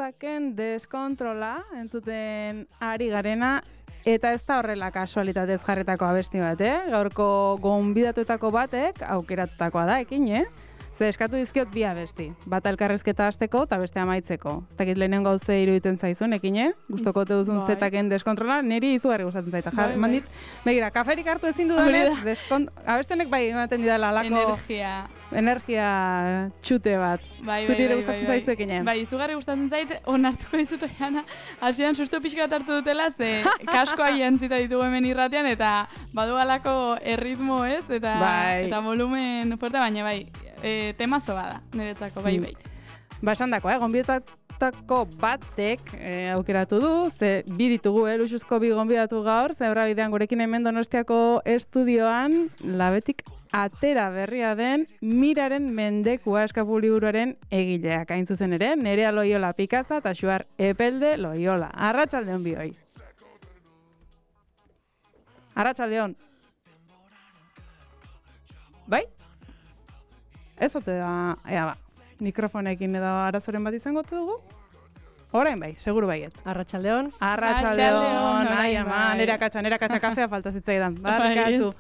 zestaken deskontrola entzuten ari garena, eta ez da horrela kasualitatez jarretako abesti bat, Gaurko gonbidatuetako batek aukeratutakoa da, ekin, Ze eskatu dizkiot bi abesti. Bat elkarrezketa hasteko eta beste amaitzeko. Ez dakit lehenengo gauze iruditzen zaizun, ekin, Gustoko duzun zetaken deskontrola, niri izugarri gustatzen zaita. Mandit, begira, kaferik hartu ezin dudanez, abestenek bai ematen didala alako energia txute bat. Zuri ere gustatzen zaizu, ekin. Bai, izugarri gustatzen zait, onartuko dizut Oiana, hasieran susto pixka bat hartu dutela, ze kaskoa jantzita ditugu hemen irratean, eta badu alako erritmo ez, eta volumen fuerte, baina bai, temazo bada, niretzako, bai. Ba, esan dako, gonbidatako batek aukeratu du, ze bi ditugu, luxuzko bi gonbidatu gaur, ze bidean gurekin hemen Donostiako estudioan, labetik atera berria den Miraren mendekua eskapu liburuaren egileak, hain zuzen ere, Nerea Loiola Pikaza eta Xuar Epelde Loiola. Arratsaldeon bioi. Arratsaldeon. Bai? Ez ote da, mikrofonekin edo arazoren bat izango dugu? Orain bai, seguru baiet. Arratsaldeon. Arratsaldeon. Ai, ama, nera katxa kafea falta zitzaidan. Barkatu.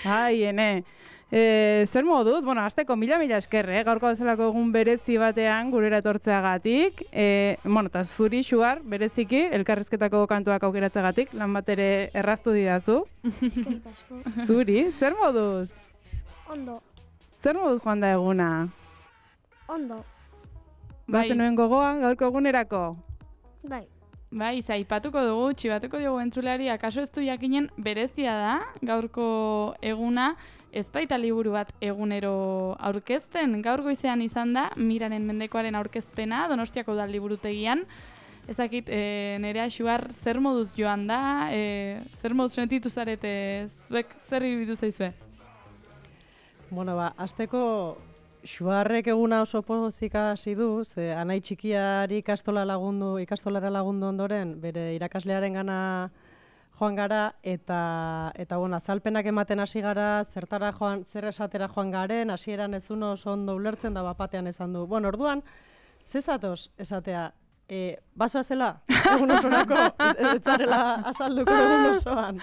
Ai, ene. Zer moduz? Bueno, hasteko mila esker, gaurko bezalako egun berezi batean gurera etortzeagatik. Eta zuri, Xuar, bereziki, elkarrizketako kantuak aukeratzeagatik, lan bat ere erraztu didazu. Eskerrik asko. Zuri, zer moduz? Ondo. Zer moduz joan da eguna? Ondo. Bazenuen gogoa, gaurko egunerako? Bai. Bai, zaipatuko dugu, txibatuko dugu entzuleari, akaso ez du jakinen berezia da, gaurko eguna, ez baita liburu bat egunero aurkezten. Gaur goizean izan da, Miraren mendekoaren aurkezpena, Donostiako udal liburutegian. Ez dakit, Nerea Xuar, zer moduz joan da, zer moduz sentitu zarete, zuek zer iruditu zaizue? Bueno, hasteko Xuarrek eguna oso pozik hasi du, ze anai txikiari ikastolara lagundu ondoren, bere irakaslearen gana joan gara, eta azalpenak ematen hasi gara, zer esatera joan garen, hasieran ez duen oso ondo ulertzen da bapatean esan du. Bueno, orduan, zezatoz esatea, basoa zela, egun osorako, etzarela azalduko egun osoan.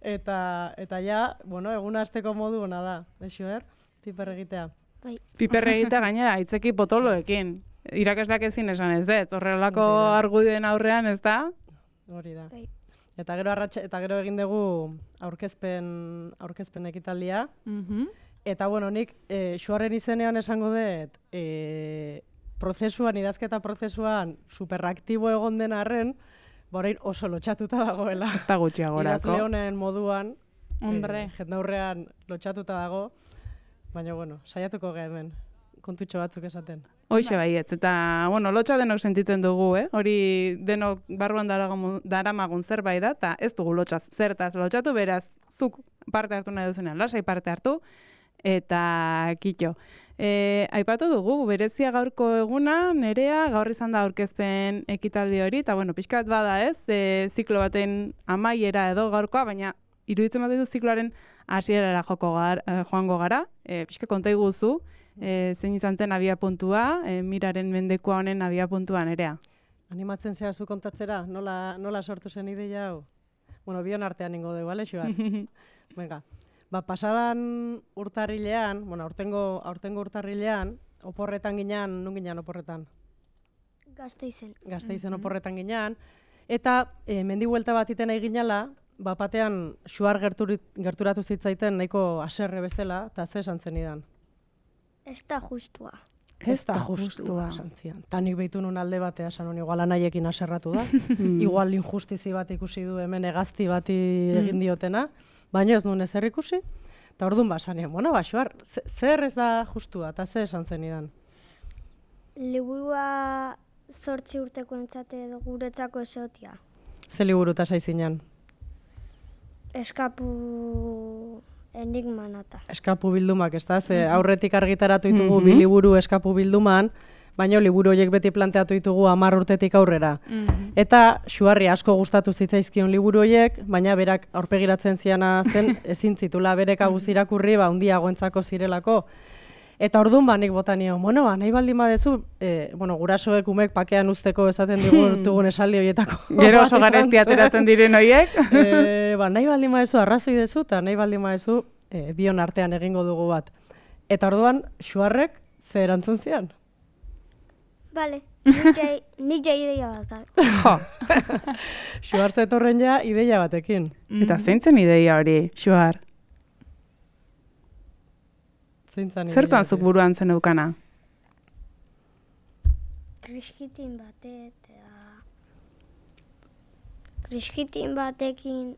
Eta ja, eguna hasteko modu ona da, Xuer, piper egitea. Bai. Piper egitea gainera, aitzeki potoloekin. Irakasleak ezin esan ez, horrelako argudioen aurrean, ez da? Hori da. Bai. Eta gero egin dugu aurkezpen ekitaldia. Eta nik Xuarren izenean esango dut, idazketa prozesuan superaktibo egon den arren, orain oso lotxatuta dagoela. Ez da gutxiagorako. Idazle honen moduan, Hombre. jendaurrean lotxatuta dago, baina saiatuko gara hemen, kontutxo batzuk esaten. Hoixe baietz, eta lotxa denok sentitzen dugu, hori denok barruan daramagun zerbait da, eta ez dugu lotxaz zertaz lotxatu, beraz, zuk parte hartu nahi duzunean, lasai parte hartu, eta kitxo. Aipatu dugu, berezia gaurko eguna, Nerea, gaur izan da aurkezpen ekitaldi hori, eta pixkat bada ez, ziklo baten amaiera edo gaurkoa, baina iruditzen bat ditu zikloaren hasierara joango gara, pixka konta iguzu, zein izan zen abiapuntua, Miraren mendekoa honen abiapuntua, Nerea. Animatzen zea zu kontatzera, nola sortu zen ideia hau? Bion artean ingo dugu, ale, Xuar? Venga. Pasadan urtarrilean, aurtengo urtarrilean, oporretan ginean, nun ginean oporretan? Gasteizen oporretan ginean, eta mendibuelta bat iten nahi ginela, batean Xuar gerturatu zitzaiten nahiko haserre bezala, eta ze esan zenidan? Ez da justua. Ez da justua, esan zian. Ta nik behitu nun alde batea, esan hon, igual anaiekin haserratu da, igual injustizi bat ikusi du hemen egazti bati egin diotena, baina ez nuen ezer ikusi, eta orduan basanean, Xuar, zer ez da justua, eta zer esan zenidan? Liburua 8 urteko entzate edo guretzako esotia. Ze liburu eta zaizinan? Eskapu enigmanata. Eskapu bildumak, ez da? Ze aurretik argitaratu ditugu bi liburu eskapu bilduman, baina liburu horiek beti planteatu ditugu 10 urtetik aurrera. Eta Xuarri asko gustatu zitzaizkion liburu horiek, baina berak aurpegiratzen ziana zen ezin zitula berek aguz irakurri, handiagoentzako zirelako. Eta orduan nik botanio, bueno, nahi baldin badezu, gurasoek umek pakean usteko esaten ditugun esaldi horietako. Gero oso garesti ateratzen diren horiek. Nahi baldin badezu arrazoi dezu, eta nahi baldin badezu bion artean egingo dugu bat. Eta orduan, Xuarrek ze erantzun zian? Bale, nik ja ideia bat. Jo. Xuar zetorren ja ideia batekin. Eta zeintzen ideia hori, Xuar? Zertan zuk buruan zen eukana? Kriskitin batekin,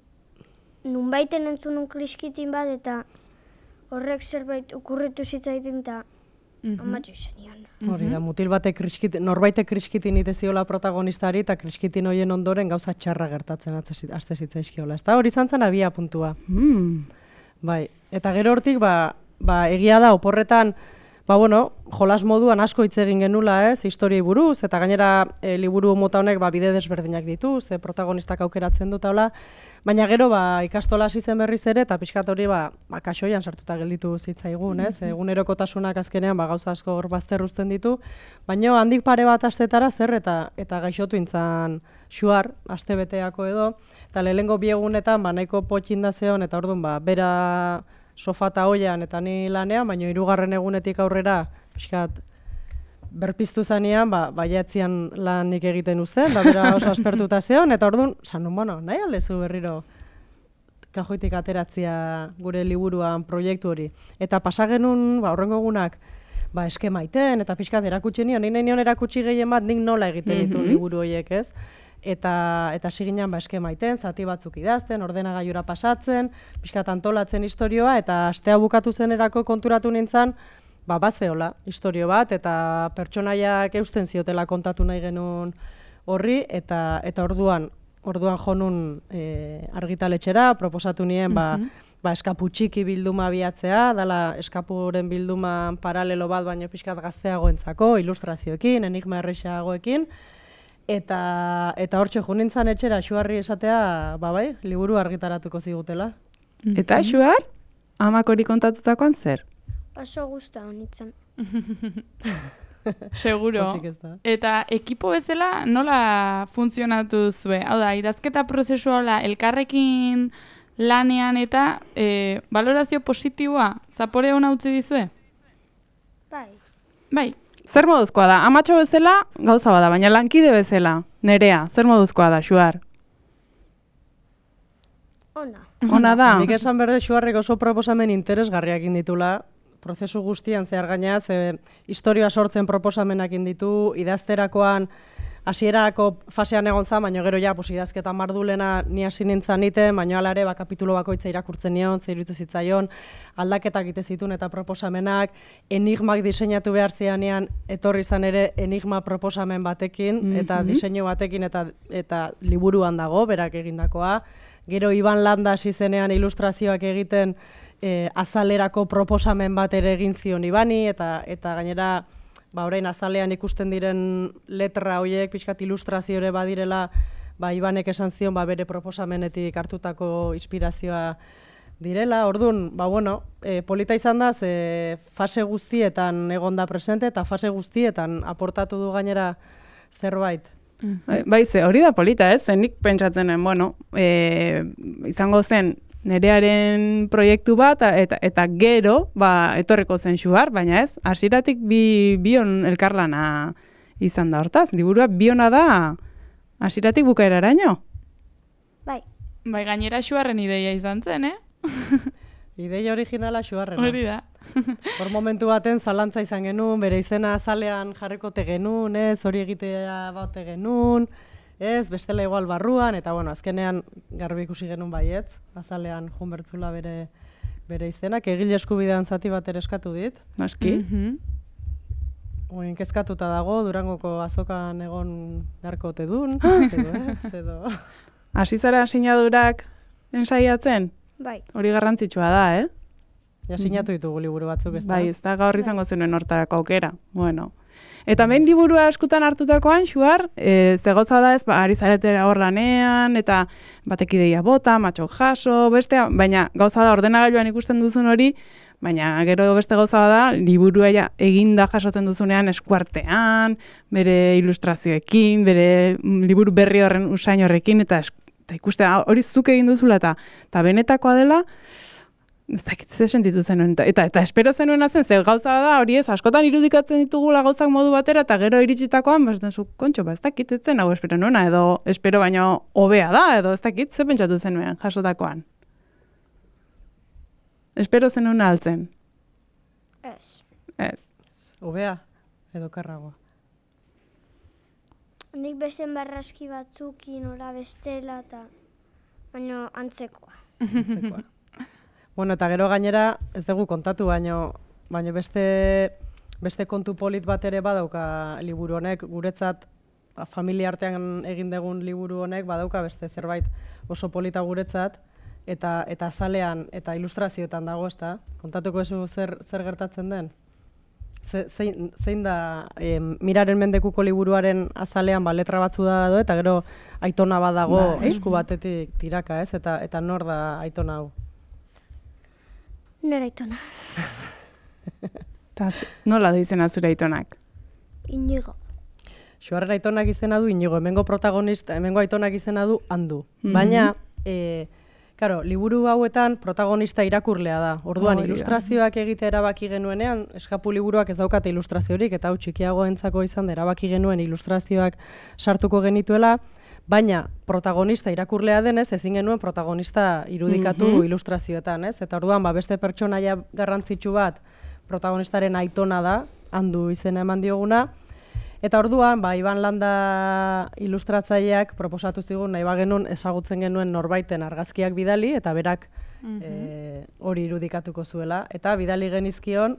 nunbaiten entzunun kriskitin bat, eta horrek zerbait okurritu zitzaiten, eta amatxo izan nion. Hori da, mutil batek norbaitek kriskitin iteziola protagonistari, eta kriskitin hoien ondoren gauza txarra gertatzen azte zitzaizkiola. Ez da, hori zantzen abia puntua. Bai, eta gero hortik, egia da, oporretan, jolas moduan asko hitz egin genula, historiei buruz, eta gainera liburu mota honek bide desberdinak ditu, ze protagonistak aukeratzen dut, baina gero ikastola hasi zen berriz ere, eta pixkat hori kasoian sartuta gelditu zitzaigun, egunerokotasunak azkenean gauza asko hor bazterruzten ditu, baina handik pare bat astetara zer eta gaixotu intzan Xuar, aste beteako edo, eta lehenengo biegunetan nahiko potxinda zeon, eta orduan bera sofata hoian eta ni lanean, baina 3. egunetik aurrera pixkat berpiztu zanean, baiatzean lanik egiten uzten, da bera oso aspertuta zeon, eta orduan, nahi aldezu berriro kajoitik ateratzea gure liburuan proiektu hori. Eta pasagenun, horrengo egunak, eskema iten, eta pixkat erakutsi nion, nahi nion erakutsi gehien bat nik nola egiten ditu liburu horiek, ez? Eta siginan eskema iten, zati batzuk idazten, ordenagailura pasatzen, pixkat antolatzen istorioa, eta astea bukatu zenerako konturatu nintzen, bazeola istorio bat, eta pertsonaiak eusten ziotela kontatu nahi genuen horri, eta orduan jonun argitaletxera, proposatu nien, eskapu txiki bilduma abiatzea, dala eskapuren bilduman paralelo bat, baino pixkat gazteagoentzako, ilustrazioekin, enigma errexeagoekin, eta hortxe junintzan etxera Xuarri esatea, liburu argitaratuko zigutela. Eta Xuar, amak hori kontatutakoan zer? Oso guzta honitzen. Seguro. Eta ekipo bezala nola funtzionatu zue? Hau da, idazketa prozesua elkarrekin lanean eta balorazio positiboa, zapore hona utzi dizue? Bai. Zer moduzkoa da? Amatxo bezala gauza bada, baina lankide bezala, Nerea, zer moduzkoa da, Xuar? Ona da. Nik esan berde Xuarrek oso proposamen interesgarriak inditula, prozesu guztian zehar gainaz, historioa sortzen proposamenak inditu, idazterakoan hasierako fasean egon za, baina gero idazketa mardulena ni hasi nintzen niten, baina hala ere kapitulu bakoitza irakurtzen nion, iruditzen zitzaion, aldaketak egite zituen eta proposamenak, enigmak diseinatu behar zianean etorri izan ere enigma proposamen batekin, eta diseinu batekin eta liburuan dago, berak egindakoa. Gero Iban Landa hasi zenean ilustrazioak egiten azalerako proposamen bat ere egin zion Ibani, eta gainera orain azalean ikusten diren letra horiek, pixkat ilustraziore badirela, Ibanek esan zion bere proposamenetik hartutako inspirazioa direla. Orduan, polita izan da, fase guztietan egon da presente, eta fase guztietan aportatu du gainera zerbait. Hori da polita, ez? Nik pentsatzenen, izango zen Nerearen proiektu bat, eta gero, etorreko zen Xuar, baina ez, hasieratik bion elkarlana izan da hortaz. Liburua biona da hasieratik bukaeraraino. Bai, gainera Xuarren ideia izan zen, Ideia originala Xuarrena. Hori da. Hor momentu baten zalantza izan genuen, bere izena azalean jarrikote genuen, hori egitea baute genuen, bestela igual barruan, eta azkenean garbi ikusi genuen baietz, azalean junbertzula bere izenak, egile eskubidean zati bat ere eskatu dit. Noski. Kezkatuta dago, Durangoko azokan egon beharko ote dun, edo. Hasi zara sinadurak ensaiatzen? bai. Hori garrantzitsua da, Ja sinatu ditugu liburu batzuk, ez da? Bai, ez da gaur izango zenuen hortarako aukera. Bueno. Eta behin liburua eskutan hartutakoan, Xuar, zegoza da ez, ari zaretera hor lanean, eta batek ideia bota, matxok jaso, bestea, baina gauza da ordenagailuan ikusten duzun hori, Baina gero beste gauza da, liburua eginda jasotzen duzunean eskuartean, bere ilustrazioekin, bere liburu berri horren usain horrekin, eta ikustea hori zuk egin duzula, eta benetakoa dela, ez dakit ze sentitu zenuen, eta espero zenuena zen, ze gauza da hori ez, askotan irudikatzen ditugula gauzak modu batera, eta gero iritsitakoan, zu, kontxo, ez dakit, ez zen hau espero nuena, edo espero baino hobea da, edo ez dakit, ze pentsatu zenuen jasotakoan. Espero zenuen altzen. Ez. Hobea edo karragoa. Nik bezen barraski batzukin ora bestela eta baino antzekoa. Bueno, eta gero gainera ez dugu kontatu, baino beste kontu polit bat ere badauka liburu honek, guretzat familia artean egin dugun liburu honek badauka beste zerbait oso polita guretzat, eta azalean eta ilustrazioetan dago, ezta? Kontatuko ezu zer gertatzen den? Zein da Miraren Mendekuko liburuaren azalean letra batzu da eta gero Aitona badago esku batetik tiraka, ez? Eta nor da Aitona hau? Nera Aitona. Eta nola da izena zure Aitonak? Inigo. Xuarren Aitonak izena du Inigo, hemengo Aitonak izena du Andu. Baina, claro, liburu hauetan protagonista irakurlea da. Orduan, ilustrazioak egitea erabaki genuenean, eskapu liburuak ez daukate ilustraziorik, eta hau txikiagoentzako izan da erabaki genuen ilustrazioak sartuko genituela, baina protagonista irakurlea denez, ezin genuen protagonista irudikatu ilustrazioetan, ez? Eta orduan, beste pertsonaia garrantzitsu bat protagonistaren Aitona da, Andu izena eman dioguna, eta orduan, Iban Landa ilustratzaileak proposatu zigun, nahi bagenun ezagutzen genuen norbaiten argazkiak bidali, eta berak hori irudikatuko zuela. Eta bidali genizkion,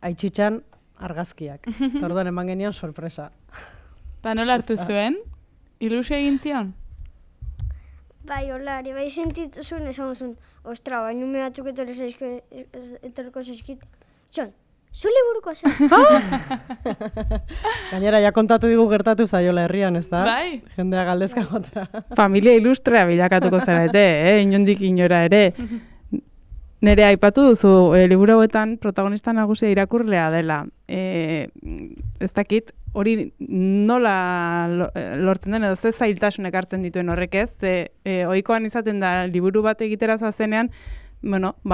Aitzitzan argazkiak. Eta orduan eman genion sorpresa. Eta nola hartu zuen? Ilusio egin zion? Bai, holari, bai sentitu zuen, esan zuen, ostra, baina ume batzuk etorko zaizkit. Zon, zu liburuko zen. Gainera, ja kontatu digu gertatu zaiola herrian, ez da? Bai. Jendea galdezka jota. Familia ilustrea bilakatuko zarete, inondik inora ere. Nere aipatu duzu, liburu hauetan protagonista nagusia irakurlea dela. Ez dakit, hori nola lortzen den, edo ze zailtasunek hartzen dituen horrek ez, ohikoan izaten da liburu bat egitera zazenean,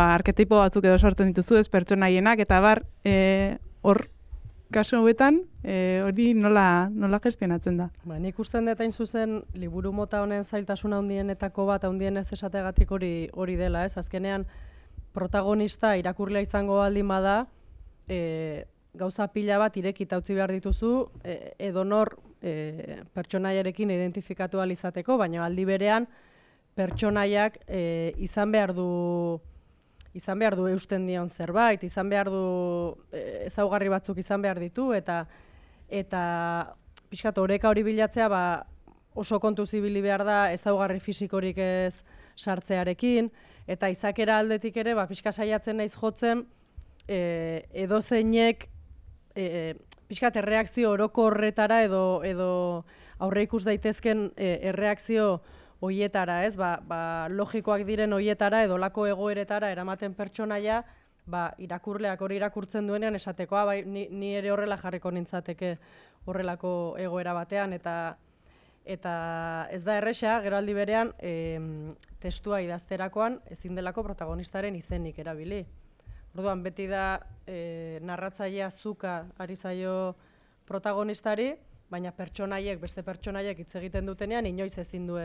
arketipo batzuk edo sortzen dituzu ez pertsonaienak, eta hor kasu hauetan hori nola gestionatzen da. Nik usten dut hain zuzen liburu mota honen zailtasuna handienetako bat, handienez esategatik hori dela, ez? Azkenean protagonista irakurlea izango baldin bada, gauza pila bat irekita utzi behar dituzu, edonor pertsonaiarekin identifikatu ahal izateko, baina aldi berean pertsonaiak izan behar du eusten dion zerbait, izan behar du ezaugarri batzuk izan behar ditu, eta pixkat oreka hori bilatzea oso kontuz ibili behar da ezaugarri fisikorik ez sartzearekin, eta izakera aldetik ere pixka saiatzen naiz jotzen edozeinek pixkat erreakzio oroko horretara edo aurre ikus daitezken erreakzio hoietara, ez? Logikoak diren hoietara edo lako egoeretara eramaten pertsonaia, irakurleak hori irakurtzen duenean esatekoa, ni ere horrela jarriko nintzateke horrelako egoera batean, eta ez da erresa, gero aldi berean, testua idazterakoan ezin delako protagonistaren izenik erabili. Orduan, beti da narratzailea zuka ari zaio protagonistari, baina beste pertsonaiek hitz egiten dutenean, inoiz ezin du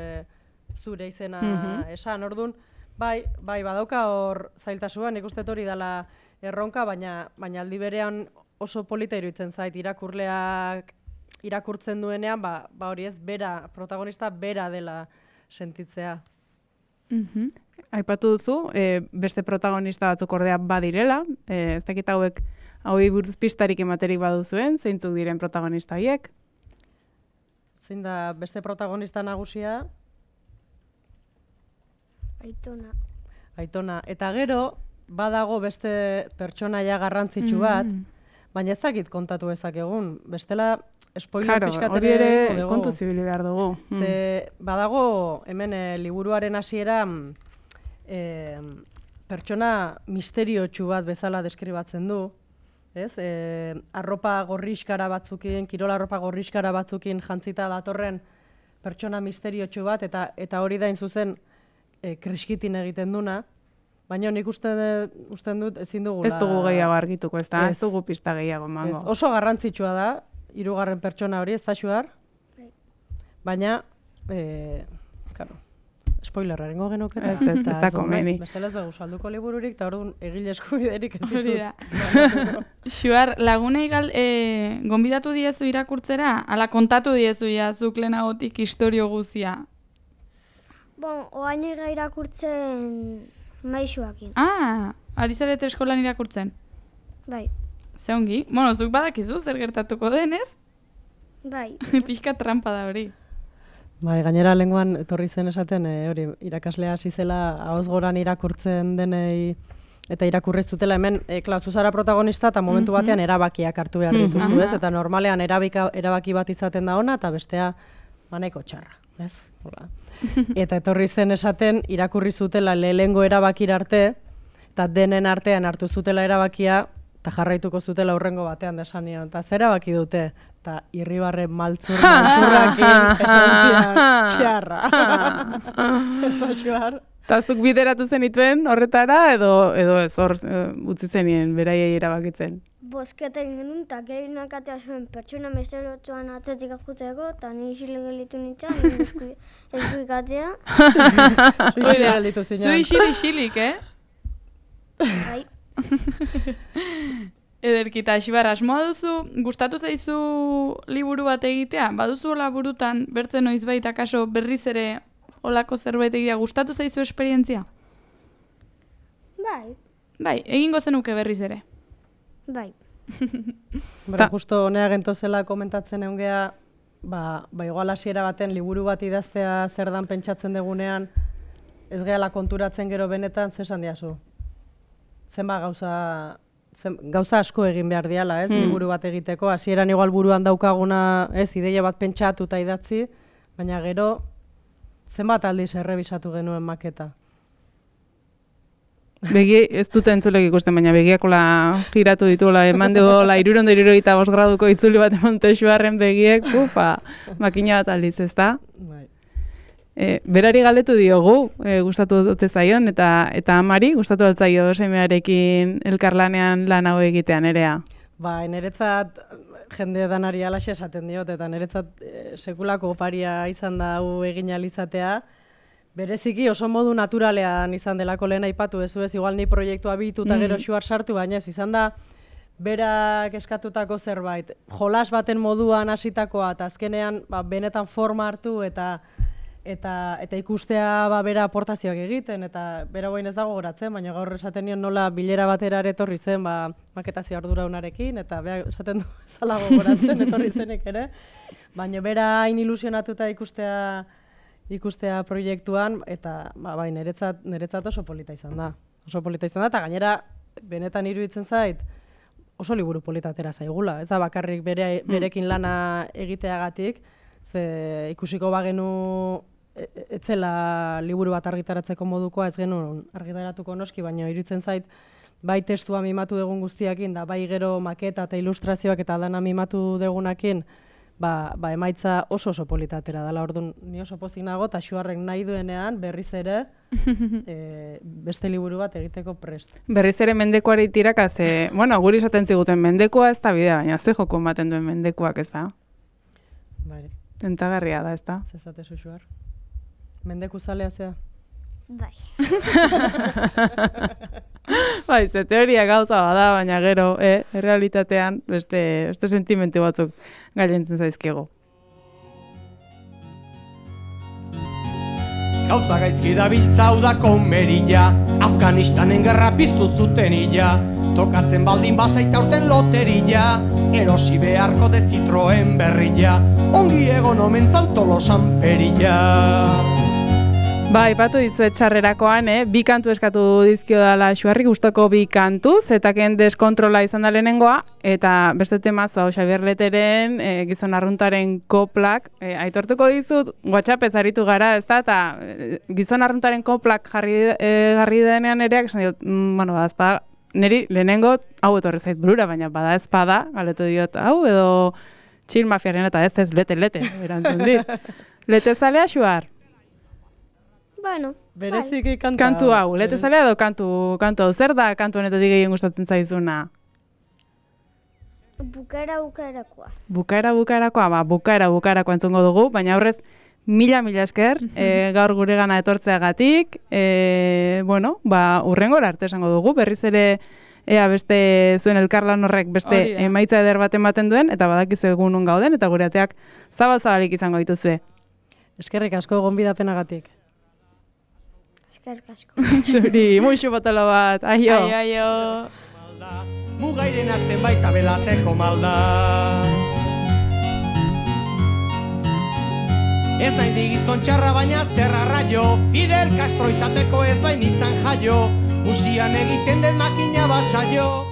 zure izena esan. Orduan, bai, badauka hor zailtasua, nik uste hori dela erronka, baina aldi berean oso polita iruditzen zait irakurleak irakurtzen duenean, hori ez, protagonista bera dela sentitzea. Aipatu duzu, beste protagonista batzuk ordea badirela, ez dakit hauei buruz pistarik ematerik baduzuen, zeintzuk diren protagonista horiek? Zein da beste protagonista nagusia? Aitona. Eta gero, badago beste pertsonaia garrantzitsu bat, baina ez dakit kontatu ezakegun. Bestela, spoiler pixkat hori ere kontu zibili behar dugu. Ze badago, hemen liburuaren hasiera pertsona misteriotsu bat bezala deskribatzen du, ez? Arropa gorriskara batzukin, kirol arropa gorriskara batzukin jantzita datorren pertsona misteriotsu bat, eta hori da in zuzen kriskitin egiten duna, baina nik usten dut ezin dugula... Ez dugu gehiago argituko, ez da? Ez dugu pista gehiago mango. Oso garrantzitsua da, 3. pertsona hori, ez da Xuar? Baina, claro, spoilerra egingo genuke. Ez da komeni. Bestela ez dugu salduko libururik, eta orduan egile eskubiderik ez Hori dizut. da. Xuar, lagunei gonbidatu diezu irakurtzera? Ala kontatu diezu ja, zuk lehenagotik historio guzia? Oain irakurtzen maisuakin. Ari zarete eskolan irakurtzen? Bai. Ze ongi? Bueno, zuk badakizu zer gertatuko den, ez? Bai. Pixka trampa da hori. Bai, gainera lenguan etorri zen esaten, hori, irakaslea hasi zela ahoz goran irakurtzen denei eta irakurri zutela hemen, zuzara protagonista eta momentu batean erabakiak hartu behar dituzu, ez? Eta normalean erabaki bat izaten da ona eta bestea nahiko txarra, ez? Hola. Eta etorri zen esaten irakurri zutela lehengo erabakira arte eta denen artean hartu zutela erabakia eta jarraituko zutela hurrengo batean desanion. Eta zer erabaki dute? Eta Irribarren maltzurrakin esantzia txarra. Ez da Xuar. Eta zuk bideratu zenituen horretara edo ez hor utzi zenien beraiei erabakitzen? Bosketa egin genuen, eta gehienak atea zuen pertsona misteriotuan atzetik ajuteko, eta ni isilik gelitu nintzen, eskuik atea. Zu isilik, Bai. Ederkita, Xibar, asmoa duzu, gustatu zaizu liburu bat egitea? Baduzu hola burutan, bertzen noizbait akaso berriz ere holako zerbait egitea, gustatu zaizu esperientzia? Bai. Bai, egingo zenuke berriz ere. Bai. Justo honea gentozela komentatzen eungea, igual hasiera baten liburu bat idaztea zer dan pentsatzen degunean, ez gehala konturatzen gero benetan, zesan diazu? Zenba gauza asko egin behar diala, ez, liburu bat egiteko. Hasieran igual buruan daukaguna, ez, ideia bat pentsatu eta idatzi, baina gero zenbat aldiz errebisatu genuen maketa. Begi ez dute entzulek ikusten, baina begiakola giratu dituela, eman dugu 375 graduko itzuli bat emonte Xuarren begiek, makina bat aldiz, ez da? Bai. Berari galdetu diogu, gustatu dute zaion, eta amari gustatu altzaio semearekin elkarlanean lan hau egitean erea. Bai, niretzat jende danari alaxe esaten diot, eta niretzat sekulako oparia izan da hau egin alizatea. Bereziki oso modu naturalean izan delako lehen aipatu dezu ez, igual ni proiektua bitu eta gero Xuar sartu, baina ez izan da berak eskatutako zerbait. Jolas baten moduan hasitakoa eta azkenean benetan forma hartu eta ikustea bera aportazioak egiten, eta bera goin ez dago goratzen, baina gaur esaten nion nola bilera batera etorri zen maketazio arduraunarekin, eta bera esaten du ez dala gogoratzen etorri zenek ere, baina bera hain ilusionatuta ikustea proiektuan, eta niretzat oso polita izan da. Oso polita izan da, eta gainera benetan iruditzen zait oso liburu polita atera zaigula. Ez da bakarrik berekin lana egiteagatik, ze ikusiko bagenu etzela liburu bat argitaratzeko modukoa ez genuen argitaratuko noski, baina iruditzen zait bai testua mimatu dugun guztiakin, da bai gero maketa eta ilustrazioak eta dana mimatu dugunakin, emaitza oso polita atera dela. Orduan ni oso pozik nago eta Xuarrek nahi duenean berriz ere beste liburu bat egiteko prest. Berriz ere mendekoari tiraka, guri esaten ziguten mendekoa ez da bidea, baina ze joko ematen duen mendekoak ez da? Bai. Tentagarria da, ez da? Zesatezu Xuar. Mendeku zalea zea? Bai. Bai, ze teoria gauza bada, baina gero, errealitatean beste sentimentu batzuk gailentzen zaizkigu. Gauza gaizki dabiltza hau da komerilla, Afganistanen gerra piztu zuten illa, tokatzen baldin bazaita urten loterilla, erosi beharko de Citroen berrilla, ongi egon omen zan Tolosan perilla. Ba, aipatu dizuet txarrerakoan, bi kantu eskatu dizkio dala Xuarri, gustoko bi kantu, zetaken deskontrola izan da lehenengoa, eta beste temazo, Xabier Leteren, gizon arruntaren koplak, aitortuko dizut, WhatsAppez aritu gara, ez da, eta gizon arruntaren koplak jarri denean ere, esan diot, bueno, badazpada, niri lehenengo, hau etorri zait burura, baina bada ezpada, galetu diot, hau edo txil mafiaren eta ez lete, erantzun dit. Lete zalea, Xuar? Bueno, Bereziki Kantu hau, lete zalea edo kantu hau, zer da kantu honetatik gehien gustatzen zaizuna? bukaerakoa. Bukaerakoa, bukaerakoa entzungo dugu, baina aurrez mila esker, gaur guregana etortzeagatik, bueno, urrengora arte esango dugu, berriz ere ea beste zuen elkarlan horrek beste emaitza eder bat ematen duen, eta badakizu egun non gauden, eta gure ateak zabalik izango dituzue. Eskerrik asko gonbidapenagatik. Eskerrik asko. Zuri, muixu botolo bat, aio. Aio. Mugairen azten baita belateko malda. Ez nahi digizon txarra baina zerra raio, Fidel Castro izateko ez bainitzan jaio, Musian egiten den makina basaio.